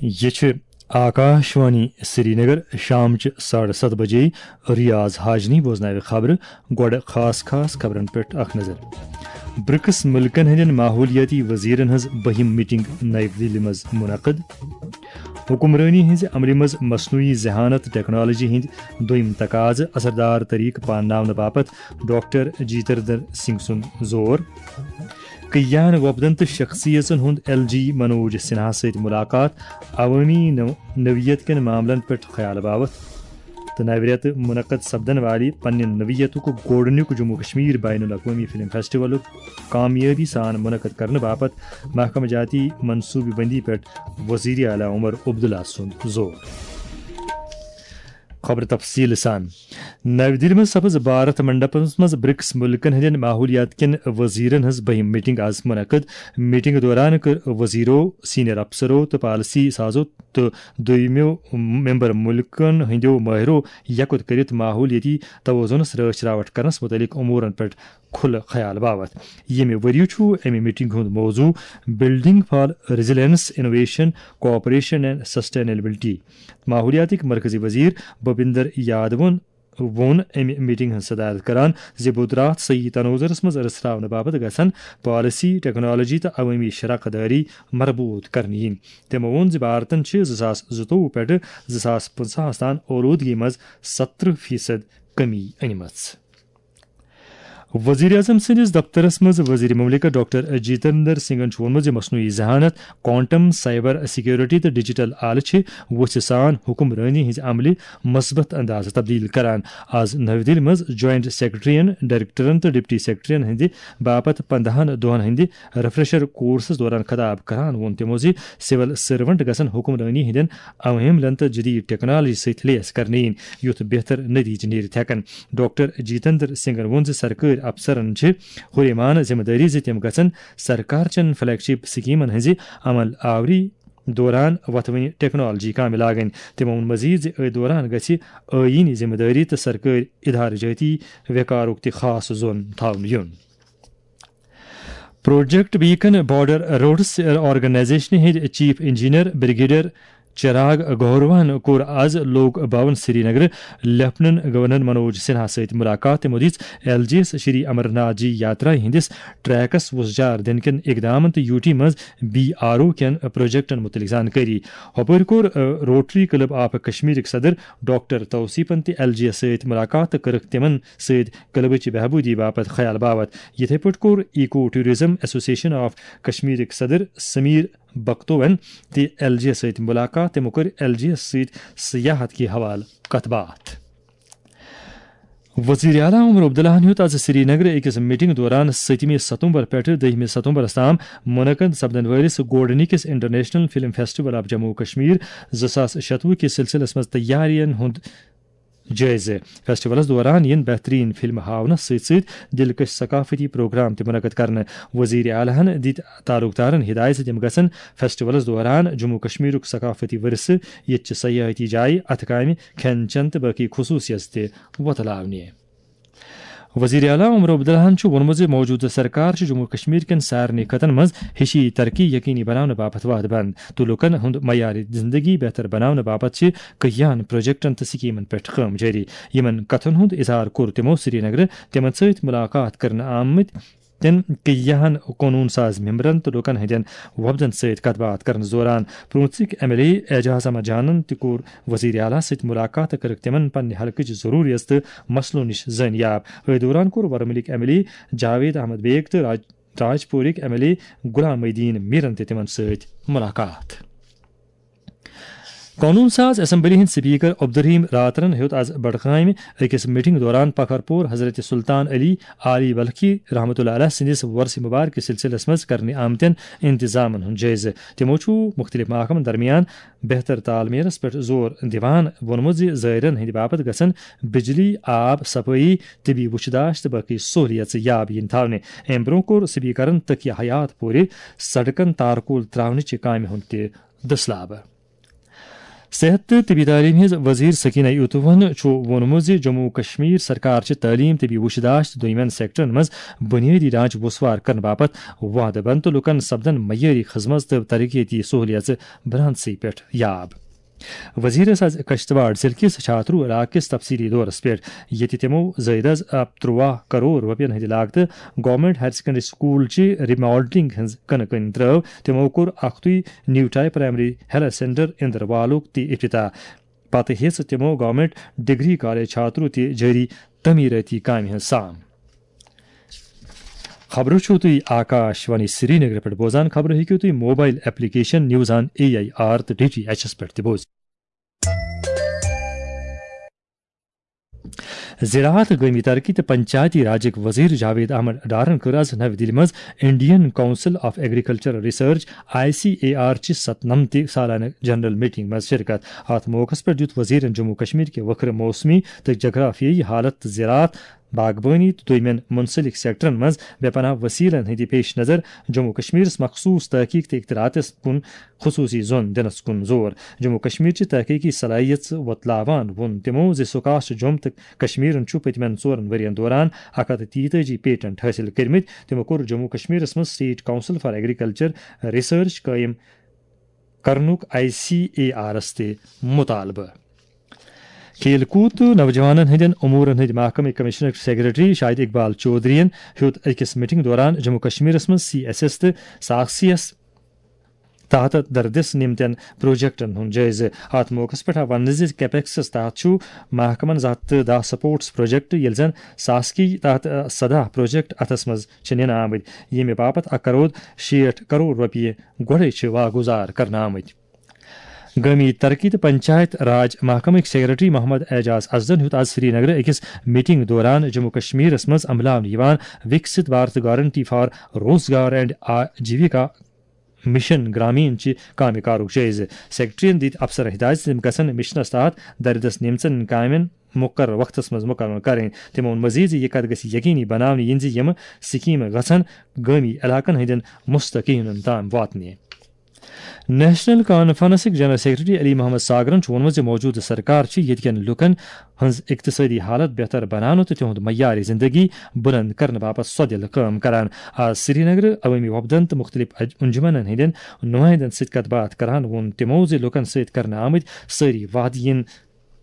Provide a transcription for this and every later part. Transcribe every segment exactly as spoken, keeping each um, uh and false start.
یہِ چھِ آکاشوانی سرینگر۔ شامچہِ ساڑٕ ستھ بجے ریاض حاجنی بوزناوِ خبرٕ۔ گۄڈٕ خاص خاص خبرن پٮ۪ٹھ اکھ نظر۔ برکس ملکن ہٕنٛدٮ۪ن ماحولیٲتی وزیرن ہٕنٛز بٔہِم میٹنگ نَیہِ دِلہِ منٛز منعقد۔ حکمرٲنی ہٕنٛزِ عملہِ منٛز مصنوعی ذہانت ٹیکنالوجی ہٕنٛدۍ دوٚیِم تقاضہٕ اثردار طریقہٕ پانناونہٕ باپتھ ڈاکٹر جیتندر سنگھ سُنٛد زور۔ کیان وۄپدن تہٕ شخصیژن ہُنٛد ایل جی منوج سنہا سۭتۍ ملاقات، عوٲمی نو-، نوعیت کٮ۪ن معاملن پٮ۪ٹھ خیال باوتھ۔ تہٕ نوِ رٮ۪تہٕ منعقد سپدن والہِ پننہِ نوعیتُک گۄڈٕنیُک جموں کشمیر بین الاقوٲمی فلم فیسٹیولُک کامیٲبی سان منعقد کرنہٕ باپتھ محکمہٕ جاتی منصوبہٕ بندی پٮ۪ٹھ وزیر اعلیٰ عمر عبداللہ سُنٛد زور۔ خبرٕ تفصیٖل سان۔ نَوِ دِلہِ منٛز سپٕز بھارت منڈپس منٛز برکس مُلکن ہٕنٛدٮ۪ن ماحولیات کٮ۪ن وزیرن ہٕنٛز بٔہِم میٹنگ آز منعقد۔ میٹنگ دوران کٔر وزیرو، سینئر افسرو تہٕ پالیسی سازو تہٕ دوٚیمو ممبر مُلکن ہٕنٛدیو مٲہرو یکوت کٔرِتھ ماحولیٲتی توازنس رٲچھ راوٹھ کرنس مُتعلق امورن پٮ۪ٹھ کھُلہٕ خیال باوتھ۔ ییٚمہِ ؤرۍ یہِ چھُ اَمہِ میٹنگ ہُنٛد موضوع Building for Resilience, Innovation, Cooperation and Sustainability۔ ماحولیاتٕکۍ مرکزی وزیر بھوپیندر یادوَن ووٚن اَمہِ میٹنگ ہٕنٛز صدارت کران زِ بُدھ راتھ صحیح تناظرس منٛز رژھراونہٕ باپتھ گژھن پالیسی، ٹیکنالوجی تہٕ عوٲمی شراکت دٲری مربوط کرنہٕ یِنۍ۔ تٔمۍ ووٚن زِ بھارتن چھِ زٕ ساس زٕتووُہ پٮ۪ٹھٕ زٕ ساس پٕنٛژٕہَس تام اولوٗدگی منٛز ستترٕہ فیصد کمی أنمٕژ۔ وزیر اعظم سٕنٛدِس دفترس منٛز وزیر مملکت ڈاکٹر جیتندر سنگھن چھُ ووٚنمُت زِ مصنوعی ذہانت، کوانٹم، سائبر سیکیورٹی تہٕ ڈیجیٹل آلہٕ چھِ وُژھِ سان حکمرٲنی ہٕنٛزِ عملہِ مثبت اندازٕ تبدیل کران۔ آز نَوِ دِلہِ منٛز جوائنٹ سیکرٹریَن، ڈائریکٹرن تہٕ ڈپٹی سیکرٹریَن ہٕنٛدِ باپتھ پندہَن دۄہَن ہٕنٛدِ ریفریشر کورسس دوران خطاب کران ووٚن تِمو زِ سول سرونٹ گژھن حکمرٲنی ہٕنٛدٮ۪ن عواملن تہٕ جدید ٹیکنالوجی سۭتۍ لیس کرنہٕ یِنۍ، یُتھ بہتر نتیجہٕ نیرِتھ ہٮ۪کن۔ ڈاکٹر جیتندر سنگھن ووٚن زِ سرکٲرۍ افسرن چھِ ہُریمانہٕ ذمہٕ دٲری زِ تِم گژھن سرکار چٮ۪ن فلیگ شپ سکیمن ہٕنٛزِ عمل آوری دوران وۄتھوٕنۍ ٹیکنالوجی کامہِ لاگٕنۍ۔ تِمو ووٚن مزید زِ أتھۍ دوران گژھِ ٲیٖنی ذمہٕ دٲری تہٕ سرکٲرۍ ادارٕ جٲتی وقارُک تہِ خاص زون تھاونہٕ یُن۔ Project beacon border roads organisation ہٕنٛدۍ چیف انجینئر بریگیڈیئر چراغ گوہروہن کوٚر آز لوک بھون سرینگر لیفٹیننٹ گورنر منوج سنہا سۭتۍ ملاقات۔ تِمو دِژ L G S Shri Amarnath ji Yatra ہٕنٛدِس ٹریکس وُژھجار دِنہٕ کٮ۪ن اقدامن تہٕ یوٗ ٹی منٛز بی آر او کٮ۪ن پروجیکٹن مُتعلق زانکٲری۔ ہُپٲرۍ کوٚر، ٲ، روٹری کلب آف کشمیرٕکۍ صدر ڈاکٹر توصیفن تہِ ایل جی ایس سۭتۍ ملاقات تہٕ کٔرٕکھ تِمن سۭتۍ کلبٕچ بہبوٗدی باپتھ خیال باوتھ۔ یِتھے پٲٹھۍ کوٚر ایکو ٹورازم ایسوسیشن آف کشمیرٕکۍ صدر سمیر بختوَن تہِ ایل جی ایس سۭتۍ ملاقات۔ تِمو کٔر ایل جی ایس سۭتۍ سیاحت کہِ حوالہٕ کتھ باتھ۔ وزیر اعلیٰ عمر عبداللہ ہن ہیوٚت آز سرینگرٕ أکِس میٹنگ دوران سٔتمہِ ستمبر پٮ۪ٹھٕ دٔہمہِ ستمبرس تام منعقد سپدن وٲلِس گۄڈٕنِکِس international film festival of Jammu و کشمیر زٕ ساس شتوُہ کِس سلسلس منٛز تیارین ہُنٛد جٲیزٕ۔ فیسٹیولس دوران یِن بہترین فلمہٕ ہاونس سۭتۍ سۭتۍ دلکش ثقافتی پروگرام تہِ منعقد کرنہٕ۔ وزیر اعلیٰ ہن دِتۍ تعلقدارن ہدایت زِ تِم گژھن فیسٹیولس دوران جموں و کشمیرُک ثقافتی ورثہٕ، ییٚتہِ چہِ سیاحتی جایہِ، اتھٕ کامہِ، کھٮ۪ن چٮ۪ن تہٕ باقی خصوصیت تہِ وۄتلاونہِ۔ وزیر اعلیٰ عمر عبداللہ ہن چھُ ووٚنمُت زِ موجودٕ سرکار چھِ جموں و کشمیر کٮ۪ن سارنٕے خطن منٛز ہِشی ترقی یقینی بناونہٕ باپتھ وعدٕ بنٛد تہٕ لوٗکن ہُنٛد معیار زندگی بہتر بناونہٕ باپتھ چھِ کٔہیاہن پروجیکٹن تہٕ سکیمن پٮ۪ٹھ کٲم جٲری۔ یِمن کتھن ہُنٛد اظہار کوٚر تِمو سرینگرٕ تِمن سۭتۍ ملاقات کرنہٕ آمٕتۍ تٮ۪ن کیاہن قونوٗن ساز ممبرن تہٕ لوٗکن ہٕنٛدٮ۪ن وفدن سۭتۍ کتھ باتھ کرنس دوران۔ پرونژٕکۍ M L A Ejaz Ahmad جانن تہِ کوٚر وزیر اعلیٰ سۭتۍ ملاقات تہٕ کٔرٕکھ تِمن پننہِ حلقٕچ ضروٗریژ تہٕ مسلو نِش زٲنیاب۔ أتھۍ دوران کوٚر ورمُلٕکۍ M L A Javed Ahmad Baig تہٕ راج-، راج پورٕکۍ M L A Ghulam Mohiuddin میرن تہِ تِمن سۭتۍ ملاقات۔ قونوٗن ساز اسمبلی ہٕنٛدۍ سپیکر عبدالرحیم راترن ہیوٚت آز بڈگامہِ أکِس میٹنگ دوران پکھر پور حضرت سلطان علی عالی بلخی رحمتہ اللہ علیہ سٕنٛدِس وۄرثہِ مبارکہِ سلسلس منٛز کرنہٕ آمتٮ۪ن انتظامن ہُنٛد جٲیزٕ۔ تِمو چھُ مُختٔلِف محکمن درمیان بہتر تال میلس پٮ۪ٹھ زور دِوان ووٚنمُت زِ زٲیرن ہٕنٛدِ باپتھ گژھن بجلی، آب، صفٲیی، طبی وُچھ داش تہٕ باقی سہولیژٕ یاب یِنۍ تھاونہٕ۔ امہِ برٛونٛہہ کوٚر سپیکرن تقیہ حیات پورِ سڑکن تارکول تراونٕچہِ کامہِ ہُنٛد تہِ دٔسلابہٕ۔ صحت تہٕ طبی تعلیٖم ہٕنٛز وزیر سکینہ یوتوہن چھُ ووٚنمُت زِ جموں و کشمیر سرکار چھِ تعلیٖم، طبی وُچھ داشت تہٕ دوٚیمٮ۪ن سیکٹرن منٛز بُنیٲدی ڈھانچہٕ وسوار کرنہٕ باپتھ وعدٕ بنٛد تہٕ لوٗکن سپدن معیٲری خدمت تہٕ ترقیتی سہولیژٕ برانسٕے پٮ۪ٹھ یاب۔ وزیرس آز کشتواڑ ضلعہٕ کِس چھاترو علاقہٕ کِس تفصیلی دورس پٮ۪ٹھ، ییٚتہِ تِمو زٲیدس ترٛواہ کرور رۄپین ہٕنٛدِ لاگتہٕ گورنمنٹ ہایر سیکنڈری سکول چہِ ریماڈلنگ ہٕنٛز کٕنہٕ کٕنۍ ترٲو۔ تِمو کوٚر اکھتُے نیوٹاے پرائمری ہیلتھ سینٹر اندروالُک تہِ افتتاح۔ پتہٕ ہیٚژ تِمو گورنمنٹ ڈگری کالج چھاترو تہِ جٲری تعمیٖرٲتی کامہِ ہٕنٛز سام۔ خبرٕ چھِو تُہۍ آکاش وانی سرینگرٕ پٮ۪ٹھ بوزان۔ خبرٕ ہیٚکِو تُہۍ mobile application news on A I R تہٕ ڈی ٹی ایچ ایس پٮ۪ٹھ تہِ بوزِتھ۔ زراعت، گٲمی ترقی تہٕ پنچایتی راجٕکۍ وزیر جاوید احمد ڈارن کٔر آز نَوِ دِلہِ منٛز Indian Council of Agricultural Research, I C A R, چہِ ستنمتہِ سالانہٕ جنرل میٹنگ منٛز شرکت۔ اتھ موقعس پٮ۪ٹھ دِیُت وزیرن جموں کشمیر کہِ وکھرٕ موسمی تہٕ جغرافیٲیی حالت تہٕ زراعت، باغبٲنی تہٕ دوٚیمٮ۪ن منسلک سیکٹرن منٛز بے پناہ وسیلن ہٕنٛدِ پیش نظر جموں کشمیرس مخصوص تحقیق تہٕ اختراعاتس کُن خصوصی زون دِنس کُن زور۔ جموں کشمیر چہِ تحقیقی صلاحیژ وۄتلاوان ووٚن تِمو زِ سکاش جوٚم تہٕ کشمیرن چھُ پٔتمٮ۪ن ژورن ؤرین دوران اکھ ہتھ تہٕ تیتٲجی پیٹنٹ حٲصِل کٔرمٕتۍ۔ تِمو کوٚر جموں کشمیرس منٛز State Council for Agriculture Research قٲیِم کرنُک آئی سی اے آرس تہِ مطالبہٕ۔ کھیل کوٗد تہٕ نوجوانن ہٕنٛدٮ۪ن امورن ہٕنٛدۍ محکمہٕ کمشنر سیکرٹری شاہد اقبال چودھرین ہیوٚت أکِس میٹنگ دوران جموں کشمیرس منٛز سی ایس ایس تہٕ ساکھ سی ایس تحت دردس نمتن پروجیکٹن ہُنٛد جٲیزٕ۔ اتھ موقعس پٮ۪ٹھ آو وننہٕ زِ کیپیکسس تحت چھُ محکمن زٕ ہتھ تہٕ دَہ سپورٹس پروجیکٹ، ییٚلہِ زن ساسکی تحت سداہ پروجیکٹ اتھس منٛز چھِ نِنہٕ آمٕتۍ، ییٚمہِ باپتھ اکھ کرور شیٹھ کرور رۄپیہِ گۄڈَے چھِ واگُزار کرنہٕ آمٕتۍ۔ گٲمی ترقی تہٕ پنچایت راج محکمٕکۍ سیکرٹری محمد اعجاز ازدن ہیوٚت آز سری نگرٕ أکِس میٹنگ دوران جموں کشمیرس منٛز عملاونہٕ یِوان وکست بھارت گارنٹی فار روزگار اینڈ آجیوکا مشن گرامین چہِ کامہِ کارُک جٲیزٕ۔ سیکرٹریَن دِتۍ افسرن ہدایت زِ تِم گژھن مشنَس تحت دردس نیمژن کامٮ۪ن مقرر وقتس منٛز مکمل کرٕنۍ۔ تِمو ووٚن مزید زِ یہِ کتھ گژھِ یقینی بناونہٕ یِنۍ زِ یِم سکیمہٕ گژھن گٲمی علاقن ہٕنٛدٮ۪ن مستحقینن تام واتنہِ۔ نیشنل کانفرنسٕکۍ جنرل سیکرٹری علی محمد ساگرن چھُ ووٚنمُت زِ موجودٕ سرکار چھِ ییٚتہِ کٮ۪ن لوٗکن ہٕنٛز اقتصٲدی حالت بہتر بناونہٕ تہٕ تِہُنٛد معیار زندگی بلند کرنہٕ باپتھ سۄدِل کٲم کران۔ آز سری نگر عوٲمی وفدن تہٕ مُختٔلِف اج-، انجمنن ہٕنٛدٮ۪ن نُمٲیندن سۭتۍ کتھ باتھ کران ووٚن تِمو زِ لوٗکن سۭتۍ کرنہٕ آمٕتۍ سٲری وعدٕ یِن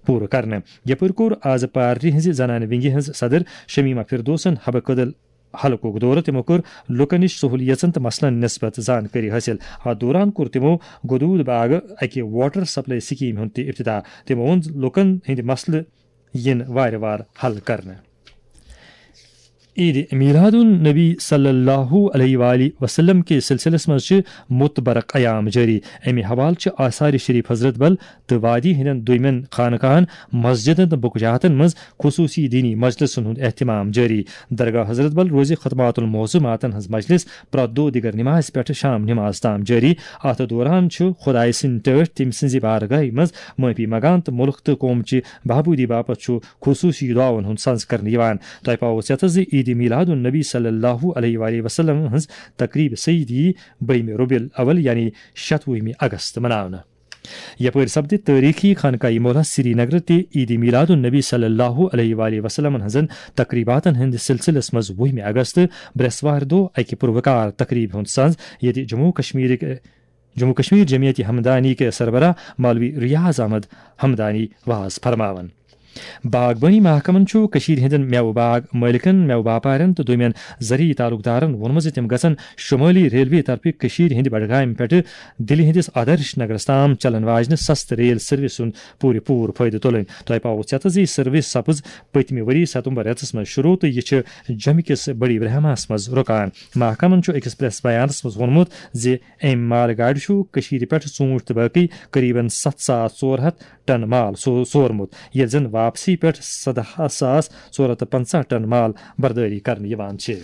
پوٗرٕ کرنہٕ۔ یپٲرۍ کوٚر آز پارٹی ہٕنٛزِ زنانہٕ ونگہِ ہٕنٛز صدر شمیمہ فردوسن حبہٕ کدل حلقُک دورٕ۔ تِمو کٔر لوٗکن نِش سہولیژن تہٕ مسلن نسبت زانکٲری حٲصِل۔ اتھ دوران کوٚر تِمو گدوٗد باغ اکہِ واٹر سپلائی سکیمہِ ہُنٛد تہِ افتتاح۔ تِمو ووٚن زِ لوٗکن ہٕنٛدۍ مسلہٕ یِن وارٕ وارٕ حل کرنہٕ۔ عید میلاد النبی صلی اللہ علیہ وآلہ وسلم کِس سلسلس منٛز چھِ متبرک ایام جٲری۔ امہِ حوالہٕ چھِ آثار شریف حضرت بل تہٕ وادی ہٕنٛدٮ۪ن دوٚیمٮ۪ن خانقاہن، مسجدن تہٕ بُکجاتن منٛز خصوٗصی دینی مجلسن ہُنٛد اہتمام جٲری۔ درگاہ حضرت بل روزِ ختمات المعظماتن ہٕنٛز مجلس پرٛٮ۪تھ دۄہ دِگر نمازِ پٮ۪ٹھٕ شام نماز تام جٲری۔ اتھ دوران چھُ خۄدایہِ سٕنٛدۍ ٹٲٹھۍ تٔمۍ سٕنٛزِ بارگاہہِ منٛز معٲفی منٛگان تہٕ مُلک تہٕ قوم چہِ بہبوٗدی باپتھ چھُ خصوٗصی دعاون ہُنٛد سنز کرنہٕ یِوان۔ تۄہہِ پاوو ژٮ۪تس زِ عید میلاد النبی صلی اللہ علیہ وآلہ وسلم ہٕنٛز تقریب سعید یی بٔہمہِ ربیع الاول یعنی شتوُہمہِ اگست مناونہٕ۔ یپٲرۍ سپدِ تٲریخی خانقاہ مولا سری نگر تہِ عید میلاد النبی صلی اللہ علیہ وآلہ وسلم ہٕنٛزن تقریباتن ہٕنٛدِ سلسلس منٛز وُہمہِ اگست برٛٮ۪سوارِ دۄہ اکہِ پُروقار تقریبہِ ہُنٛد سنز، ییٚتہِ جموں کشمیرٕکۍ، جموں کشمیر جمعیت ہمدانی کہِ سربراہ مولوی ریاض احمد ہمدانی واز فرماون۔ باغبٲنی محکمن چھُ کٔشیٖرِ ہٕنٛدٮ۪ن مٮ۪وٕ باغ مٲلکن، مٮ۪وٕ باپارٮ۪ن تہٕ دوٚیمٮ۪ن زرعی تعلقدارن ووٚنمُت زِ تِم گژھن شُمٲلی ریلوے طرفہٕ کٔشیٖرِ ہٕنٛدِ بڈگامہِ پٮ۪ٹھٕ دِلہِ ہٕنٛدِس آدرش نگرس تام چلن واجنہِ سستہٕ ریل سروس ہُنٛد پوٗرٕ پوٗرٕ فٲیدٕ تُلٕنۍ۔ تۄہہِ پاوو ژٮ۪تس زِ یہِ سروس سپٕز پٔتمہِ ؤری ستمبر رٮ۪تس منٛز شروع تہٕ یہِ چھِ جوٚمہِ کِس بڑی برہماہس منٛز رُکان۔ محکمن چھُ أکِس پریس بیانس منٛز ووٚنمُت زِ امہِ مال گاڑِ چھُ کٔشیٖرِ پٮ۪ٹھ ژوٗنٛٹھۍ تہٕ باقٕے قریباً ستھ ساس ژور ہتھ ٹن مال سو-، سورمُت، ییٚلہِ زن واپسی پٮ۪ٹھ سداہ ساس ژور ہتھ تہٕ پنژاہ ٹن مال بردٲری کرنہٕ یِوان چھِ۔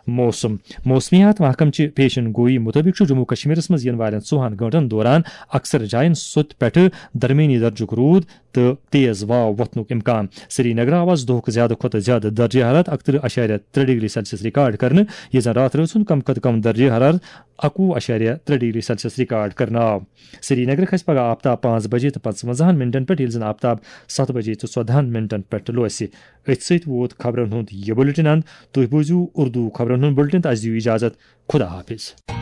موسم۔ موسمیات محکمہٕ چہِ پیشن گوئی مُطٲبِق چھُ جموں کشمیرس منٛز یِنہٕ والٮ۪ن ژوٚوُہن گٲنٛٹن دوران اکثر جاین سوٚت پٮ۪ٹھٕ درمیٲنی درجُک روٗد تہٕ تیز واو وۄتھنُک امکان۔ سرینگر آو آز دۄہُک زیادٕ کھۄتہٕ زیادٕ درجہ حرارت اکترٕہ اَشاریہ ترٛےٚ ڈگری سیلسیس ریکارڈ کرنہٕ، ییٚتہِ زن راتھ رٲژ ہُنٛد کم کھۄتہٕ کم درجہ حرارت اَکوُہ اَشاریہ ترٛےٚ ڈگری سیلسیس ریکارڈ کرنہٕ آو۔ سرینگر کھسہِ پگہہ آفتاب پانٛژھ بجے تہٕ پنٛژونٛزاہن منٹن پٮ۪ٹھ، ییٚلہِ زن آفتاب ستھ بجے تہٕ ژۄدہن منٹن پٮ۪ٹھ لوسہِ۔ أتھۍ سۭتۍ ووت خبرن ہُنٛد یہِ بُلٹن اند۔ تُہۍ بوٗزِو اردو خبرن ہُنٛد بُلٹن تہٕ اسہِ دِیِو اجازت۔ خدا حافظ۔